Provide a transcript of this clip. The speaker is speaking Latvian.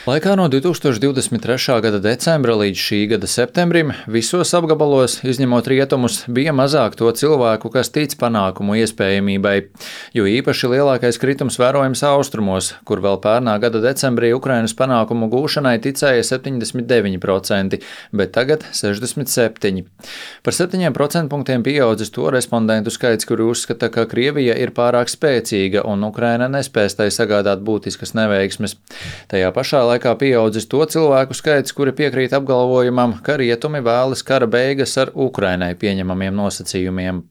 Laikā no 2023. gada decembra līdz šī gada septembrim visos apgabalos, izņemot rietumus, bija mazāk to cilvēku, kas tic panākumu iespējamībai, jo īpaši lielākais kritums vērojams austrumos, kur vēl pērnā gada decembrī Ukrainas panākumu gūšanai ticēja 79%, bet tagad 67%. Par 7% punktiem pieaudzis to respondentu skaits, kuri uzskata, ka Krievija ir pārāk spēcīga un Ukraina nespēs tai sagādāt būtiskas neveiksmes. Tajā pašā laikā pieaudzis to cilvēku skaits, kuri piekrīt apgalvojumam, ka rietumi vēlas kara beigas ar Ukrainai pieņemamiem nosacījumiem.